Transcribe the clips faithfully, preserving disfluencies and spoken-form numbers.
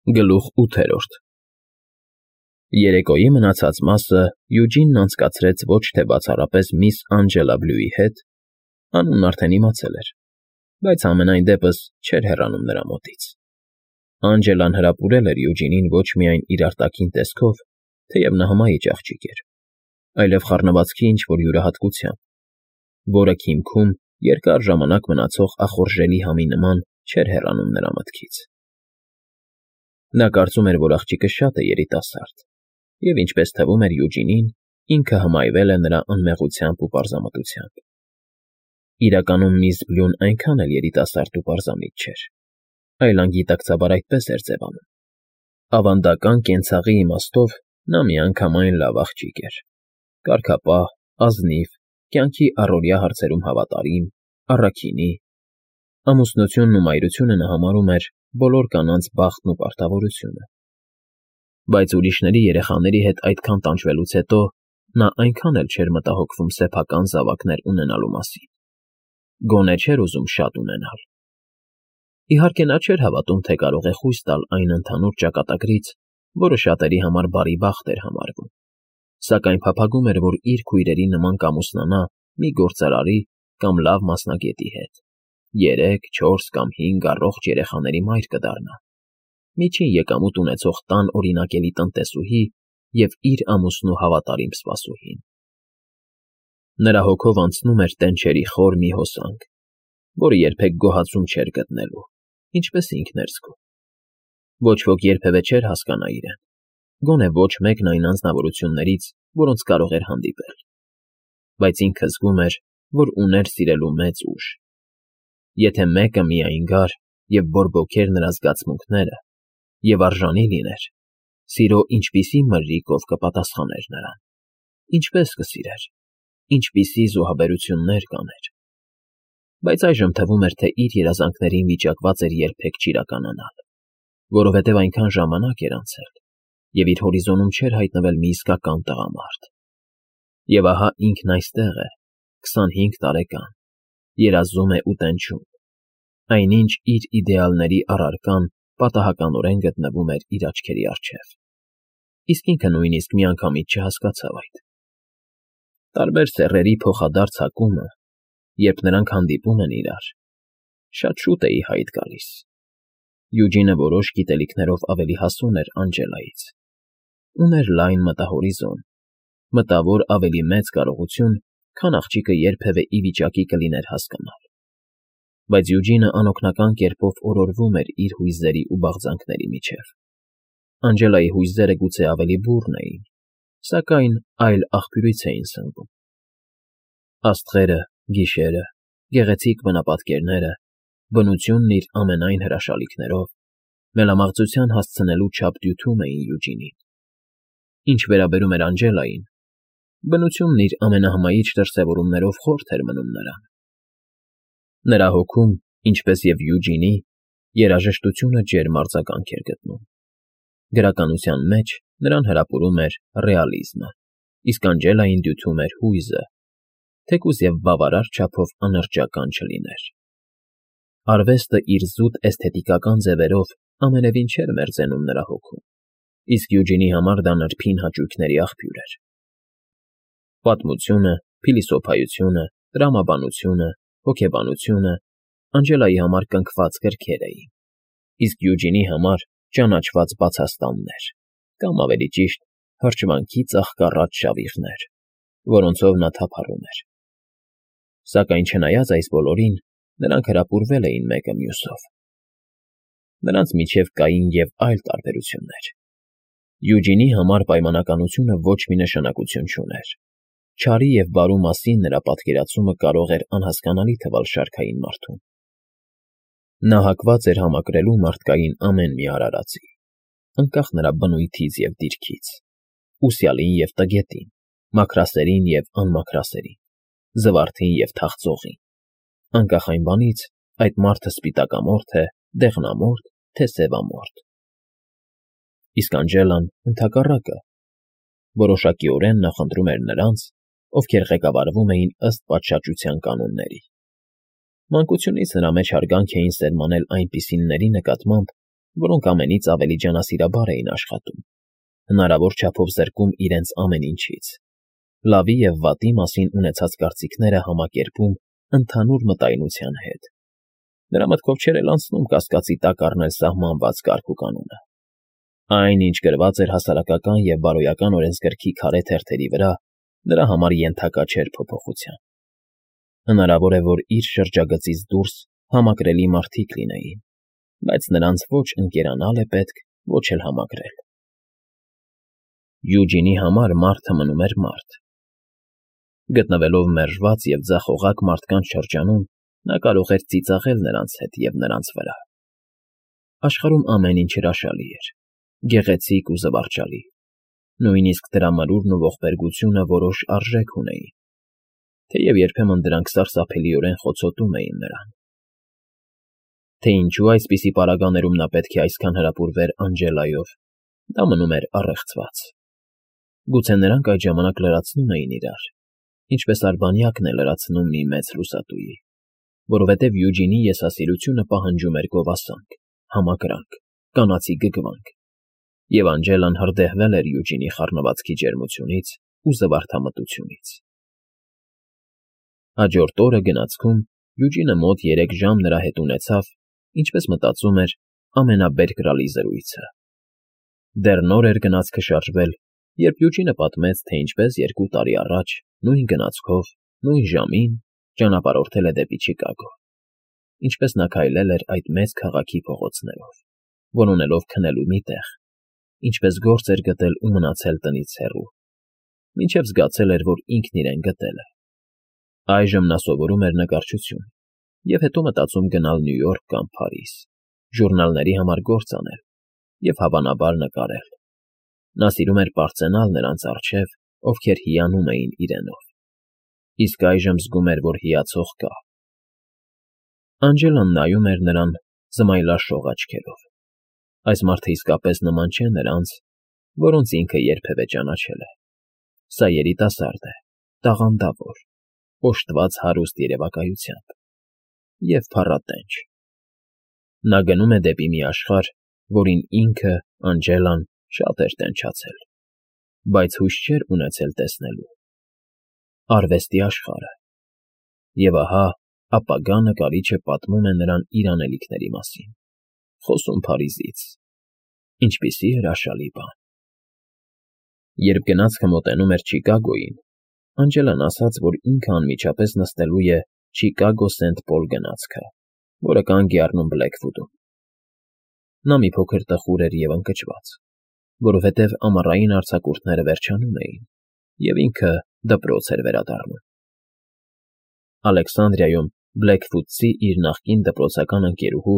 Գլուխ ութերորդ Երեկոյի մնացած մասը Յուջինն անցկացրեց ոչ թե բացառապես միս Անջելա Բլյուի հետ (անունն արդեն իմացել էր), բայց համենայն դեպս չէր հեռանում նրա մոտից. Անջելան հրապուրել էր Յուջինին ոչ միայն իր արտաքին տեսքով, թեև նա հմայիչ աղջիկ էր, այլև խառնվածքի ինչ֊որ յուրահատկությամբ, որը քիմքում երկար ժամանակ մնացող ախորժելի համի նման չէր հեռանում նրա մտքից. Նա կարծում էր, որ աղջիկը շատ է երիտասարդ և, ինչպես թվում էր Յուջինին, ինքը հմայվել է նրա անմեղությամբ ու պարզամտությամբ. իրականում միս Բլյուն այնքան էլ երիտասարդ ու պարզամիտ չէր, այլ անգիտակցաբար այդպես էր ձևանում. ավանդական կենցաղի իմաստով նա միանգամայն լավ աղջիկ էր, կարգապահ, ազնիվ, կյանքի առօրյա հարցերում հավատարիմ, առաքինի. ամուսնությունն ու մայրությունը նա համարում էր բոլոր կանանց բախտն ու պարտավորությունը, բայց ուրիշների երեխաների հետ այդքան տանջվելուց հետո նա այնքան էլ չէր մտահոգվում սեփական զավակներ ունենալու մասին, գոնե չէր ուզում շատ ունենալ. իհարկե նա չէր հավատում, թե կարող է խույս տալ այն ընդհանուր ճակատագրից, որը շատերի համար բարի բախտ էր համարվում, սակայն փափագում էր, որ իր քույրերի նման կամուսնանա մի գործարարի կամ լավ մասնագետի հետ, երեք, չորս կամ հինգ առողջ երեխաների մայր կդառնա, միջին եկամուտ ունեցող տան օրինակելի տնտեսուհի և իր ամուսնու հավատարիմ սպասուհին. նրա հոգով անցնում էր տենչերի խոր մի հոսանք, որը երբեք գոհացում չէր գտնելու, ինչպես ինքն էր զգում. ոչ ոք երբևէ չէր հասկանա իրեն, գոնե ոչ մեկն այն անձնավորություններից, որոնց կարող էր հանդիպել, բայց ինքը զգում էր, որ ուներ սիրելու մեծ ուժ. եթե մեկը միայն գար և բորբոքեր նրա զգացմունքները և արժանի լիներ, սիրո ինչպիսի մրրիկով կպատասխաներ նրան, ինչպես կսիրեր, ինչպիսի զոհաբերություններ կաներ, բայց այժմ թվում էր, թե իր երազանքներին վիճակված էր երբեք չիրականանալ, որովհետև այնքան ժամանակ էր անցել, և իր հորիզոնում չէր հայտնվել մի իսկական տղամարդ. և ահա ինքն այստեղ է, քսանհինգ տարեկան, երազում է ու տենչում, այնինչ իր իդեալների առարկան պատահականորեն գտնվում էր իր աչքերի առջև, իսկ ինքը նույնիսկ միանգամից չհասկացավ այդ. տարբեր սեռերի փոխադարձ հակումը, երբ նրանք հանդիպում են իրար, շատ շուտ է ի հայտ գալիս. Յուջինը որոշ գիտելիքներով ավելի հասուն էր Անջելայից, ուներ լայն մտահորիզոն, մտավոր ավելի մեծ կարողություն, քան աղջիկը երբևէ ի վիճակի կլիներ հասկանալ, բայց Յուջինը անօգնական կերպով օրորվում էր իր հույզերի ու բաղձանքների միջև. Անջելայի հույզերը գուցե ավելի բուռն էին, սակայն այլ աղբյուրից էին սնվում. աստղերը, գիշերը, գեղեցիկ բնապատկերները, բնությունն իր ամենայն հրաշալիքներով մելամաղձության հասցնելու չափ դյութում էին Յուջինին. ինչ վերաբերում էր Անջելային, բնությունն իր ամենահմայիչ դրսևորումներով խորթ էր մնում նրան. նրա հոգում, ինչպես և Յուջինի, երաժշտությունը ջերմ արձագանք էր գտնում, գրականության մեջ նրան հրապուրում էր ռեալիզմը, իսկ Անջելային դյութում էր հույզը, թեկուզ և բավարար չափով անրջական չլիներ. արվեստը իր զուտ էսթետիկական ձևերով ամենևին չէր մերձենում նրա հոգում, իսկ Յուջինի համար դա նրբին հաճույքների աղբյուր էր. պատմությունը, փիլիսոփայությունը, տրամաբանությունը, հոգեբանությունը Անջելայի համար կնքված գրքեր էին, իսկ Յուջինի համար ճանաչված բացաստաններ, կամ ավելի ճիշտ, հրճվանքի ծաղկառատ շավիղներ, որոնցով նա թափառում էր. սակայն չնայած այս բոլորին, նրանք հրապուրվել էին մեկը մյուսով. նրանց միջև կային և այլ տարբերություններ. Յուջինի համար պայմանականությունը ոչ մի նշանակություն չուներ, չարի և բարու մասին նրա պատկերացումը կարող էր անհասկանալի թվալ շարքային մարդուն. նա հակված էր համակրելու մարդկային ամեն մի արարածի, անկախ նրա բնույթից և դիրքից, ուսյալին և տգետին, մաքրասերին և անմաքրասերին, զվարթին և թախծողին, անկախ այն բանից, այդ մարդը սպիտակամորթ է, դեղնամորթ, թե սևամորթ. իսկ Անջելան, ընդհակառակը, որոշակիորեն նախընտրում էր նրանց, ովքեր ղեկավարվում էին ըստ պատշաճության կանոնների. մանկությունից նրա մեջ հարգանք էին սերմանել այնպիսինների նկատմամբ, որոնք ամենից ավելի ջանասիրաբար էին աշխատում, հնարավոր չափով զրկում իրենց ամեն ինչից, լավի և վատի մասին ունեցած կարծիքները համակերպում ընդհանուր մտայնության հետ։ Նրա մտքով չէր էլ անցնում կասկածի տակ առնել սահմանված կարգ ու կանոնը։ Այն, ինչ գրված էր հասարակական և բարոյական օրենսգրքի քարե թերթերի վրա, նրա համար ենթակա չէր փոփոխության։ Հնարավոր է, որ իր շրջագծից դուրս համակրելի մարդիկ լինեին, բայց նրանց ոչ ընկերանալ է պետք, ոչ էլ համակրել։ Յուջինի համար մարդը մնում էր մարդ։ Գտնվելով մերժված և ձախողակ մարդկանց շրջանում, նա կարող էր ծիծաղել նրանց հետ և նրանց վրա։ Աշխարհում ամեն ինչ հրաշալի էր, գեղեցիկ ու զվարճալի, նույնիսկ դրա մրուրն ու ողբերգությունը որոշ արժեք ունեին, թեև երբեմն դրանք սարսափելիորեն խոցոտում էին նրան։ Թե ինչու այսպիսի պարագաներում նա պետք է այսքան հրապուրվեր Անջելայով, դա մնում էր առեղծված։ Գուցե նրանք այդ ժամանակ լրացնում էին իրար, ինչպես արբանյակն է լրացնում մի մեծ լուսատուի, որովհետև Յուջինի եսասիրությունը պահանջում էր գովասանք, համակրանք, կանացի գգվանք, և Անջելան հրդեհվել էր Յուջինի խառնվածքի ջերմությունից ու զվարթամտությունից։ Հաջորդ օրը գնացքում Յուջինը մոտ երեք ժամ նրա հետ ունեցավ, ինչպես մտածում էր, ամենաբերկրալի զրույցը։ Դեռ նոր էր գնացքը շարժվել, երբ Յուջինը պատմեց, թե ինչպես երկու տարի առաջ, նույն գնացքով, նույն ժամին ճանապարհորդել է դեպի Չիկագո, ինչպես նա քայլել էր այդ մեծ քաղաքի փողոցներով, որոնելով քնելու մի տեղ, ինչպես գործ էր գտել ու մնացել տնից հեռու, մինչև զգացել էր, որ ինքն իրեն գտել է։ Այժմ նա սովորում էր նկարչություն և հետո մտածում գնալ Նյու Յորք կամ Փարիզ, ժուրնալների համար գործ անել և, հավանաբար, նկարել։ Նա սիրում էր պարծենալ նրանց առջև, ովքեր հիանում էին իրենով, իսկ այժմ զգում էր, որ հիացող կա։ Անջելան նայում էր նրան զմայլաշող աչքերով։ Այս մարդը իսկապես նման չէ նրանց, որոնց ինքը երբևէ ճանաչել է։ Սա երիտասարդ է, տաղանդավոր, օժտված հարուստ երևակայությամբ և փառատենչ։ Նա գնում է դեպի մի աշխարհ, որին ինքը, Անջելան, շատ էր տենչացել, բայց հույս չէր ունեցել տեսնելու։ Արվեստի աշխարհը։ Եվ ահա ապագա նկարիչը պատմում է նրան իր անելիքների մասին, խոսում Փարիզից։ Ինչպիսի հրաշալի բան։ Երբ գնացքը մոտենում էր Չիկագոյին, Անջելան ասաց, որ ինքը անմիջապես նստելու է Չիկագո Սենթ Պոլ գնացքը, որը կանգ է առնում Բլեքվուդում։ Նա մի փոքր տխուր էր և ընկճված, որովհետև ամառային արձակուրդները վերջանում էին, և ինքը դպրոց էր վերադառնում։ Ալեքսանդրիայում Բլեքվուդցի իր նախկին դպրոցական ընկերուհու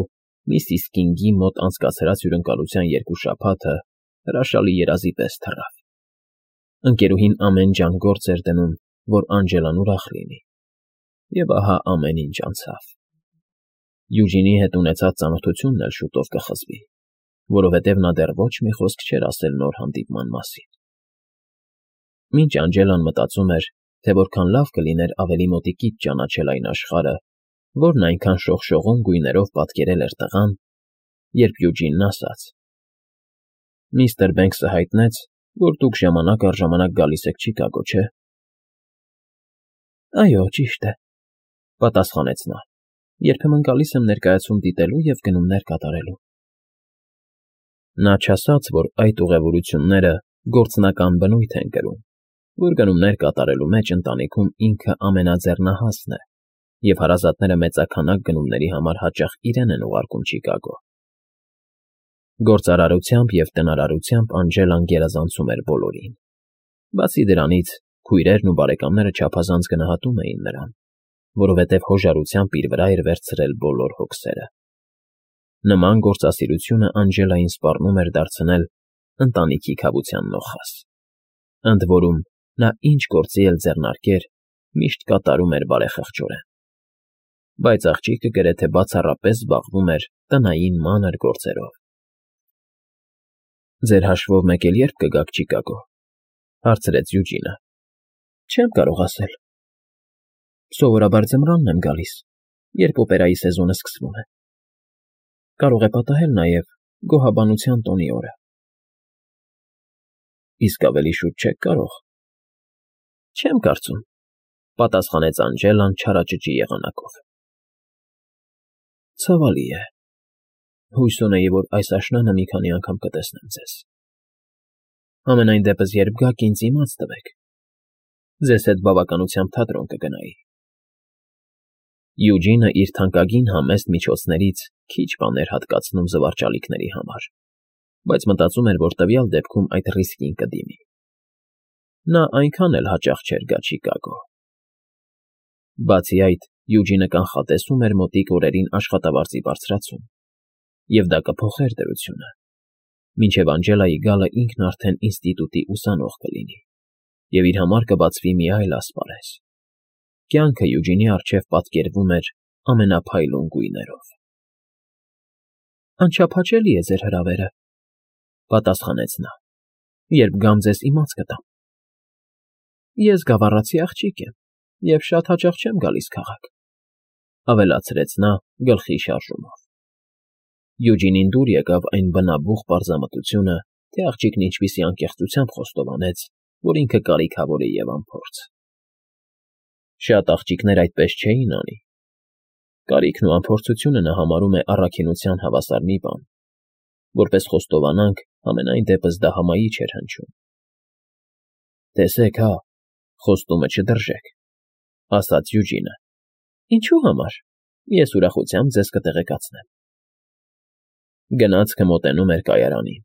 միսիս Կինգի մոտ անցկացրած հյուրընկալության երկու շաբաթը հրաշալի երազի պես թռավ։ Ընկերուհին ամեն ջան գործ էր դնում, որ Անջելան ուրախ լինի, և ահա ամեն ինչ անցավ։ Յուջինի հետ ունեցած ծանոթությունն էլ շուտով կխզվի, որովհետև նա դեռ ոչ մի խոսք չէր ասել նոր հանդիպման մասին։ Մինչ Անջելան մտածում էր, թե որքան լավ կլիներ ավելի մոտիկից ճանաչել այն աշխարհը, որն այնքան շողշողուն գույներով պատկերել էր տղան, երբ Յուջինն ասաց. «Միստր Բենքսը հայտնեց, որ դուք ժամանակ առ ժամանակ գալիս եք Չիկագո, չէ՞»։ «Այո, ճիշտ է», ֊ պատասխանեց նա։ «Երբեմն գալիս եմ ներկայացում դիտելու և գնումներ կատարելու»։ Նա չասաց, որ այդ ուղևորությունները գործնական բնույթ են կրում, որ գնումներ կատարելու մեջ ընտանիքում ինքը ամենաձեռնահասն է, և հարազատները մեծաքանակ գնումների համար հաճախ իրեն են ուղարկում Չիկագո։ Գործարարությամբ և տնարարությամբ Անջելան գերազանցում էր բոլորին։ Բացի դրանից, քույրերն ու բարեկամները չափազանց գնահատում էին նրան, որովհետև հոժարությամբ իր վրա էր վերցրել բոլոր հոգսերը։ Նման գործասիրությունը Անջելային սպառնում էր դարձնել ընտանիքի քավության նոխազ։ Ընդ որում, նա ինչ գործի էլ ձեռնարկեր, միշտ կատարում էր բարեխղճորեն։ Բայց աղջիկը գրեթե բացառապես զբաղվում էր տնային մանր գործերով։ «Ձեր հաշվով մեկ էլ ե՞րբ կգաք Չիկագո», ֊ հարցրեց Յուջինը։ «Չեմ կարող ասել։ Սովորաբար ձմռանն եմ գալիս, երբ օպերայի սեզոնը սկսվում է։ Կարող է պատահել նաև, գոհաբանության տոնի օրը։ ֊ Իսկ ավելի շուտ չե՞ք կարող։ ֊ Չեմ կարծում,֊ պատասխանեց Անջելան չարաճճի եղանակով։ ֊ Ցավալի է, հույս ունեի, որ այս աշնանը մի քանի անգամ կտեսնեմ ձեզ։ Համենայն դեպս, երբ գաք, ինձ իմաց տվեք, ձեզ հետ բավականությամբ թատրոն կգնայի։ Յուջինը իր թանկագին համեստ միջոցներից քիչ բան էր հատկացնում զվարճալիքների համար, բայց մտածում էր, որ տվյալ դեպքում այդ ռիսկին կդիմի։ Նա այնքան էլ հաճախ չէր գա Չիկագո։ Բացի այդ, Յուջինը կանխատեսում էր մոտիկ օրերին աշխատավարձի բարձրացում, և դա կփոխեր դրությունը։ Մինչև Անջելայի գալը ինքն արդեն ինստիտուտի ուսանող կլինի, և իր համար կբացվի մի այլ ասպարեզ։ Կյանքը Յուջինի առջև պատկերվում էր ամենափայլուն գույներով։ ֊ Անչափահաճելի է ձեր հրավերը,֊ պատասխանեց նա,֊ երբ գամ ձեզ իմաց կտամ։ Ես գավառացի աղջիկ եմ և շատ հաճախ չեմ գալիս քաղաք,֊ ավելացրեց նա գլխի շարժումով։ Յուջինին դուր եկավ այն բնաբուխ պարզամտությունը, թե աղջիկն ինչպիսի անկեղծությամբ խոստովանեց, որ ինքը կարիքավոր է և անփորձ։ Շատ աղջիկներ այդպես չէին անի։ Կարիքն ու անփորձությունը նա համարում է առաքինության հավասար մի բան, որպես խոստովանանք, համենայն դեպս դա հմայիչ էր հնչում։ Տեսեք հա, խոստումը չդրժեք,֊ ասաց Յուջինը։ Ինչու՞ համար, ես ուրախությամբ ձեզ կտեղեկացնեմ։ Գնացքը մոտենում էր կայարանին։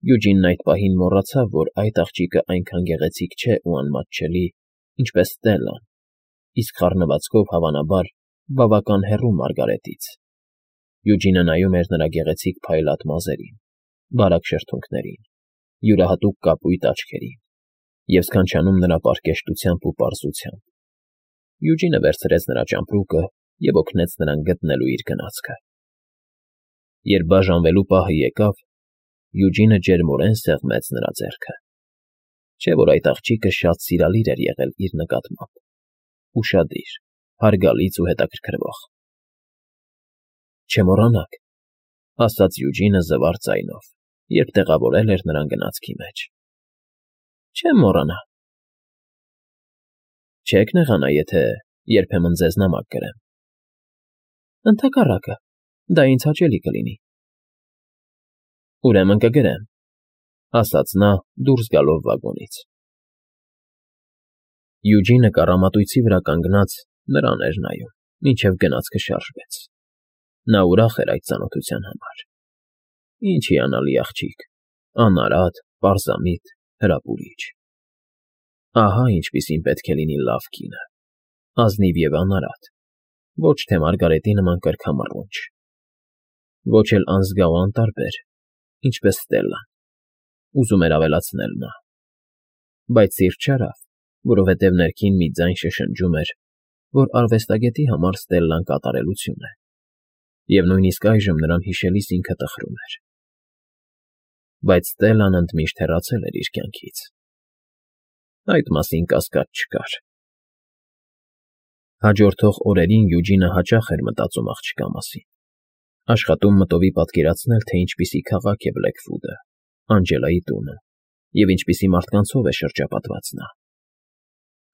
Յուջինն այդ պահին մոռացավ, որ այդ աղջիկը այնքան գեղեցիկ չէ ու անմատչելի, ինչպես Ստելլան, իսկ խառնվածքով, հավանաբար, բավական հեռու Մարգարետից։ Յուջինը նայում էր նրա գեղեցիկ փայլատ մազերին, բարակ շրթունքներին, յուրահատուկ կապույտ աչքերին և սքանչանում նրա պարկեշտությամբ ու պարզությամբ։ Յուջինը վերցրեց նրա ճամպրուկը և օգնեց նրան գտնելու իր գնացքը։ Երբ բաժանվելու պահը եկավ, Յուջինը ջերմորեն սեղմեց նրա ձեռքը։ Չէ՞ որ այդ աղջիկը շատ սիրալիր էր եղել իր նկատմամբ, ուշադիր, հարգալից ու հետաքրքրվող։ Չմոռանաք,֊ ասաց Յուջինը զվարճ ձայնով, երբ տեղավորել էր նրան գնացքի մեջ։ Չեմ մոռանա։ Չե՞ք նեղանա, եթե երբեմն ձեզ նամակ գրեմ։ Ընդհակառակը, դա ինձ հաճելի կլինի։ Ուրեմն կգրեմ,֊ ասաց նա դուրս գալով վագոնից։ Յուջինը կառամատույցի վրա կանգնած նրան էր նայում, մինչև գնացքը շարժվեց։ Նա ուրախ էր այդ ծանոթության համար։ Ինչ հիանալի աղջիկ, անարատ, պարզամիտ, հրապուրիչ։ Ահա ինչպիսին պետք է լինի լավ կինը, ազնիվ և անարատ, ոչ թե Մարգարետի նման կրքամռունչ, ոչ էլ անզգա ու անտարբեր, ինչպես Ստելլան, ուզում էր ավելացնել նա։ Բայց սիրտ չարավ, որովհետև ներքին մի ձայն շշնջում էր, որ արվեստագետի համար Ստելլան կատարելություն է, և նույնիսկ այժմ նրան հիշելիս ինքը տխրում էր։ Բայց Ստելլան ընդմիշտ հեռացել էր իր կյանքից։ Այդ մասին կասկած չկար։ Հաջորդող օրերին Յուջինը հաճախ էր մտածում աղջկա մասին, աշխատում մտովի պատկերացնել, թե ինչպիսի քաղաք է Բլեքվուդը, Անջելայի տունը, և ինչպիսի մարդկանցով է շրջապատված նա։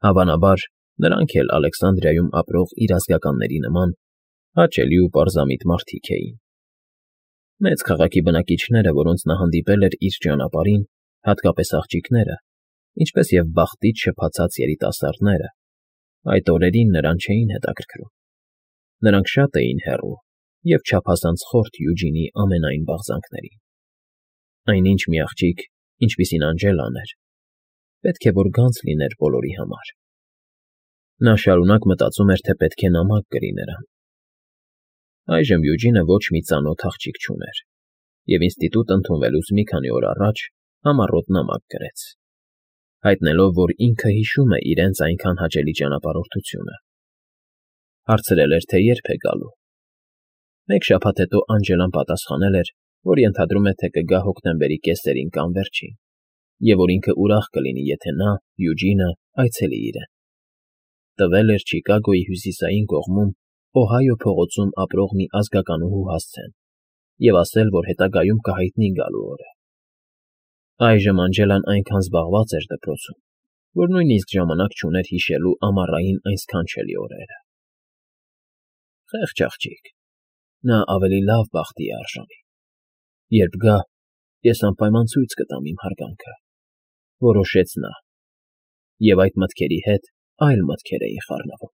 Հավանաբար, նրանք էլ Ալեքսանդրիայում ապրող իր ազգականների նման հաճելի ու պարզամիտ մարդիկ էին։ Մեծ քաղաքի բնակիչները, որոնց նա հանդիպել էր իր ճանապարհին, հատկապես աղջիկները, ինչպես և բախտից շփացած երիտասարդները, այդ օրերին նրան չէին հետաքրքրում։ Նրանք շատ էին հեռու և չափազանց խորթ Յուջինի ամենայն բաղձանքներին։ Այնինչ մի աղջիկ, ինչպիսին Անջելան էր, պետք է որ գանձ լիներ բոլորի համար։ Նա շարունակ մտածում էր, թե պետք է նամակ գրի նրան։ Այժմ Յուջինը ոչ մի ծանոթ աղջիկ չուներ, և ինստիտուտ ընդունվելուց մի քանի օր առաջ համառոտ նամակ գրեց, հայտնելով, որ ինքը հիշում է իրենց այնքան հաճելի ճանապարհորդությունը։ Հարցրել էր, թե երբ է գալու։ Մեկ շաբաթ հետո Անջելան պատասխանել էր, որ ենթադրում է, թե կգա հոկտեմբերի կեսերին կամ վերջին, և որ ինքը ուրախ կլինի, եթե նա, Յուջինը, այցելի իրեն։ Տվել էր Չիկագոյի հյուսիսային կողմում Օհայո փողոցում ապրող մի ազգականուհու հասցեն, և ասել, որ հետագայում կհայտնի գալու օրը։ Այժմ Անջելան այնքան զբաղված էր դպրոցում, որ նույնիսկ ժամանակ չուներ հիշելու ամառային այն սքանչելի օրերը։ Խեղճ աղջիկ, նա ավելի լավ բախտի է արժանի։ Երբ գա, ես անպայման ցույց կտամ իմ հարգանքը, որոշեց նա, և այդ մտքերի հետ այլ մտքեր էին խառնվում։